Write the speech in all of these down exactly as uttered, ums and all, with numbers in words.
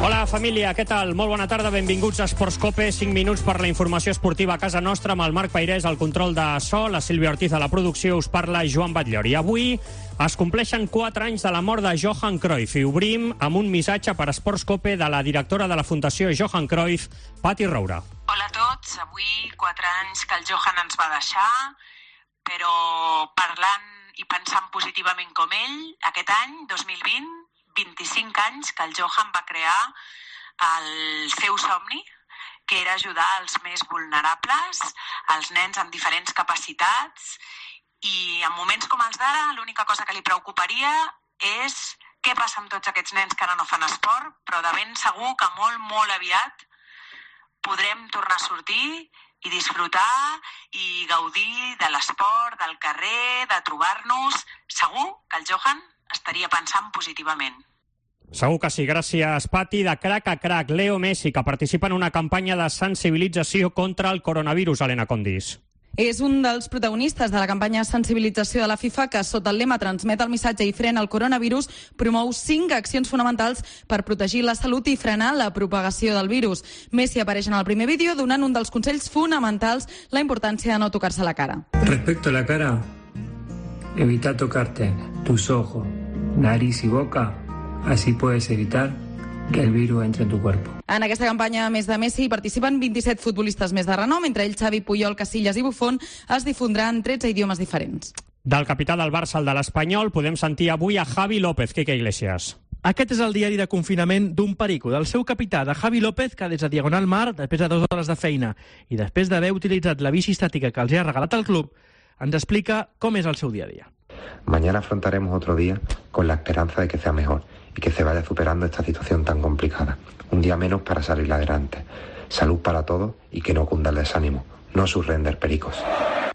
Hola, família, què tal? Molt bona tarda, benvinguts a Esports Cope. cinc minuts per la informació esportiva a casa nostra, amb el Marc Peirés al control de so, la Sílvia Ortiz a la producció, us parla Joan Batllor. I avui es compleixen quatre anys de la mort de Johan Cruyff i obrim amb un missatge per Esports Cope de la directora de la Fundació Johan Cruyff, Pati Roura. Hola a tots, avui quatre anys que el Johan ens va deixar, però parlant i pensant positivament com ell, aquest any, dos mil vint, vint-i-cinc anys que el Johan va crear el seu somni, que era ajudar els més vulnerables, els nens amb diferents capacitats, i en moments com els d'ara l'única cosa que li preocuparia és què passa amb tots aquests nens que ara no fan esport, però de ben segur que molt, molt aviat podrem tornar a sortir i disfrutar i gaudir de l'esport, del carrer, de trobar-nos. Segur que el Johan estaria pensant positivament. Segur que sí, gràcies, Pati. De crac a crac, Leo Messi, que participa en una campanya de sensibilització contra el coronavirus, Helena Condis. És un dels protagonistes de la campanya de sensibilització de la FIFA que, sota el lema Transmet el missatge i frena el coronavirus, promou cinc accions fonamentals per protegir la salut i frenar la propagació del virus. Messi apareix en el primer vídeo donant un dels consells fonamentals, la importància de no tocar-se la cara. Respecto a la cara, evita tocarte tus ojos, nariz y boca, así puedes evitar que el virus entre en tu cuerpo. En aquesta campanya, a més de Messi, hi participen vint-i-set futbolistes més de renom, entre ells Xavi, Puyol, Casillas i Buffon. Es difondrà en tretze idiomes diferents. Del capità del Barça al de l'Espanyol podem sentir avui a Javi López. Quique Iglesias. Aquest és el diari de confinament d'un perico, del seu capità, de Javi López, que des de Diagonal Mar, després de dues hores de feina i després d'haver utilitzat la bici estàtica que els ha regalat el club, ens explica com és el seu dia a dia. Mañana afrontaremos otro día con la esperanza de que sea mejor y que se vaya superando esta situación tan complicada. Un día menos para salir adelante. Salud para todos y que no cunda el desánimo. No surrender, pericos.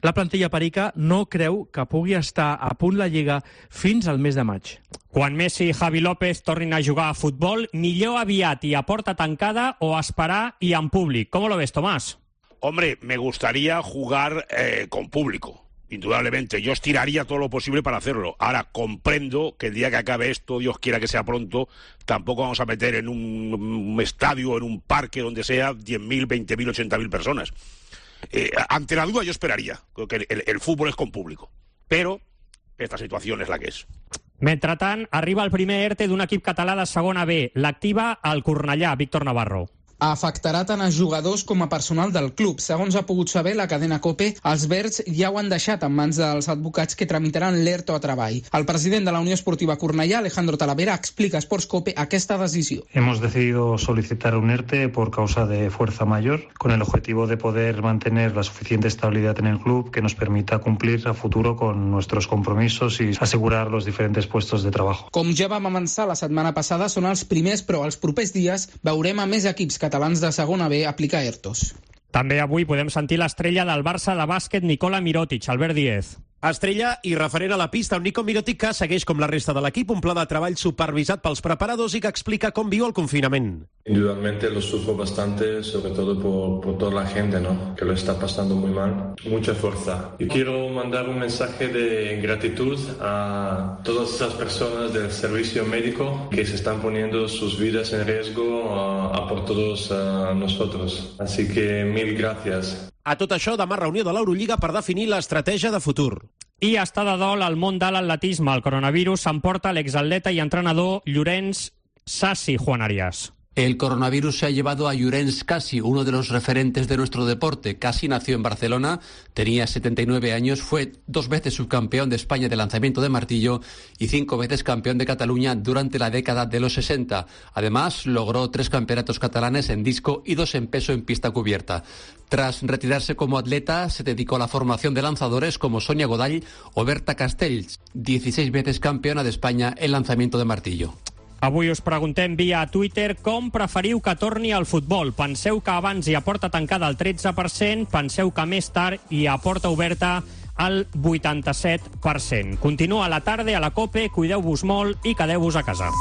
La plantilla perica no creu que pugui estar a punt la Lliga fins al mes de maig. Quan Messi i Javi López tornin a jugar a futbol, millor aviat i a porta tancada o esperar i en públic. ¿Cómo lo ves, Tomás? Hombre, me gustaría jugar eh, con público. Indudablemente, yo estiraría todo lo posible para hacerlo. Ahora, comprendo que el día que acabe esto, Dios quiera que sea pronto, tampoco vamos a meter en un, un estadio, en un parque, donde sea diez mil, veinte mil, ochenta mil personas. Eh, ante la duda yo esperaría, que el, el, el fútbol es con público. Pero esta situación es la que és. Mentrestant, arriba el primer ERTE d'un equip català de segona B. L'activa el Cornellà, Víctor Navarro. Afectarà tant a jugadors com a personal del club. Segons ha pogut saber la cadena COPE, els verds ja ho han deixat en mans dels advocats que tramitaran l'ERTO a treball. El president de la Unió Esportiva Cornellà, Alejandro Talavera, explica a Esports Cope aquesta decisió. Hemos decidido solicitar un ERTE por causa de fuerza mayor, con el objetivo de poder mantener la suficiente estabilidad en el club que nos permita cumplir a futuro con nuestros compromisos y asegurar los diferentes puestos de trabajo. Com ja vam avançar la setmana passada, són els primers, però els propers dies veurem a més equips catalans de segona B aplicar ERTOs. També avui podem sentir l'estrella del Barça de bàsquet, Nikola Mirotic, Albert Díez. Estrella i referent a la pista, un Nico Mirotic que segueix com la resta de l'equip un pla de treball supervisat pels preparadors i que explica com viu el confinament. Indudablemente lo sufro bastante, sobre todo por, por toda la gente, ¿no? Que lo está pasando muy mal. Mucha fuerza. Y quiero mandar un mensaje de gratitud a todas esas personas del servicio médico que se están poniendo sus vidas en riesgo a, a por todos a nosotros. Así que mil gracias. A tot això, demà reunió de l'Eurolliga per definir l'estratègia de futur. I està de dol al món de l'atletisme. El coronavirus s'emporta l'exatleta i entrenador Llorenç Sassi, Juan Arias. El coronavirus se ha llevado a Llorenç Cassi, uno de los referentes de nuestro deporte. Cassi nació en Barcelona, tenía setenta y nueve años, fue dos veces subcampeón de España de lanzamiento de martillo y cinco veces campeón de Cataluña durante la década de los sesenta. Además, logró tres campeonatos catalanes en disco y dos en peso en pista cubierta. Tras retirarse como atleta, se dedicó a la formación de lanzadores como Sonia Godall o Berta Castells, dieciséis veces campeona de España en lanzamiento de martillo. Avui us preguntem via Twitter com preferiu que torni al futbol. Penseu que abans hi ha porta tancada al tretze per cent, penseu que més tard hi ha porta oberta al vuitanta-set per cent. Continua la tarda a la COPE, cuideu-vos molt i quedeu-vos a casa.